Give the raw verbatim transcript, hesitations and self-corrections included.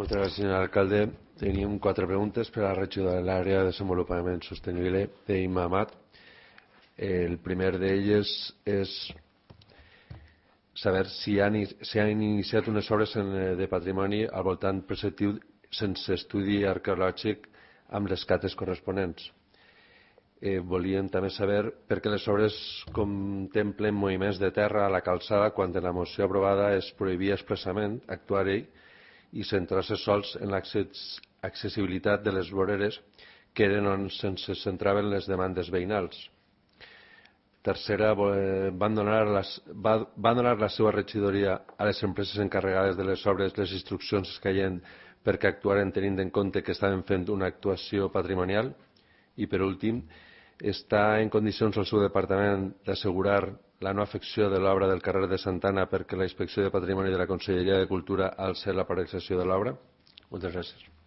Moltes gràcies, senyor alcalde. Tenim quatre preguntes per a la regidora de l'àrea de desenvolupament sostenible d'Imma Amat. El primer d'elles és saber si han, si han iniciat unes obres de patrimoni al voltant preceptiu sense estudi arqueològic amb les cates corresponents. Eh, volíem també saber per què les obres contemplen moviments de terra a la calçada quan en la moció aprovada es prohibia expressament actuar-hi i centrar-se sols en l'accessibilitat de les voreres que eren on se centraven les demandes veïnals. Tercera, van donar, les, va, van donar la seva regidoria a les empreses encarregades de les obres les instruccions escaient perquè actuaren tenint en compte que estaven fent una actuació patrimonial. I per últim, està en condicions el seu departament d'assegurar la no afecció de l'obra del carrer de Santana perquè la Inspecció de Patrimoni de la Conselleria de Cultura al ser la paralització de l'obra? Moltes gràcies.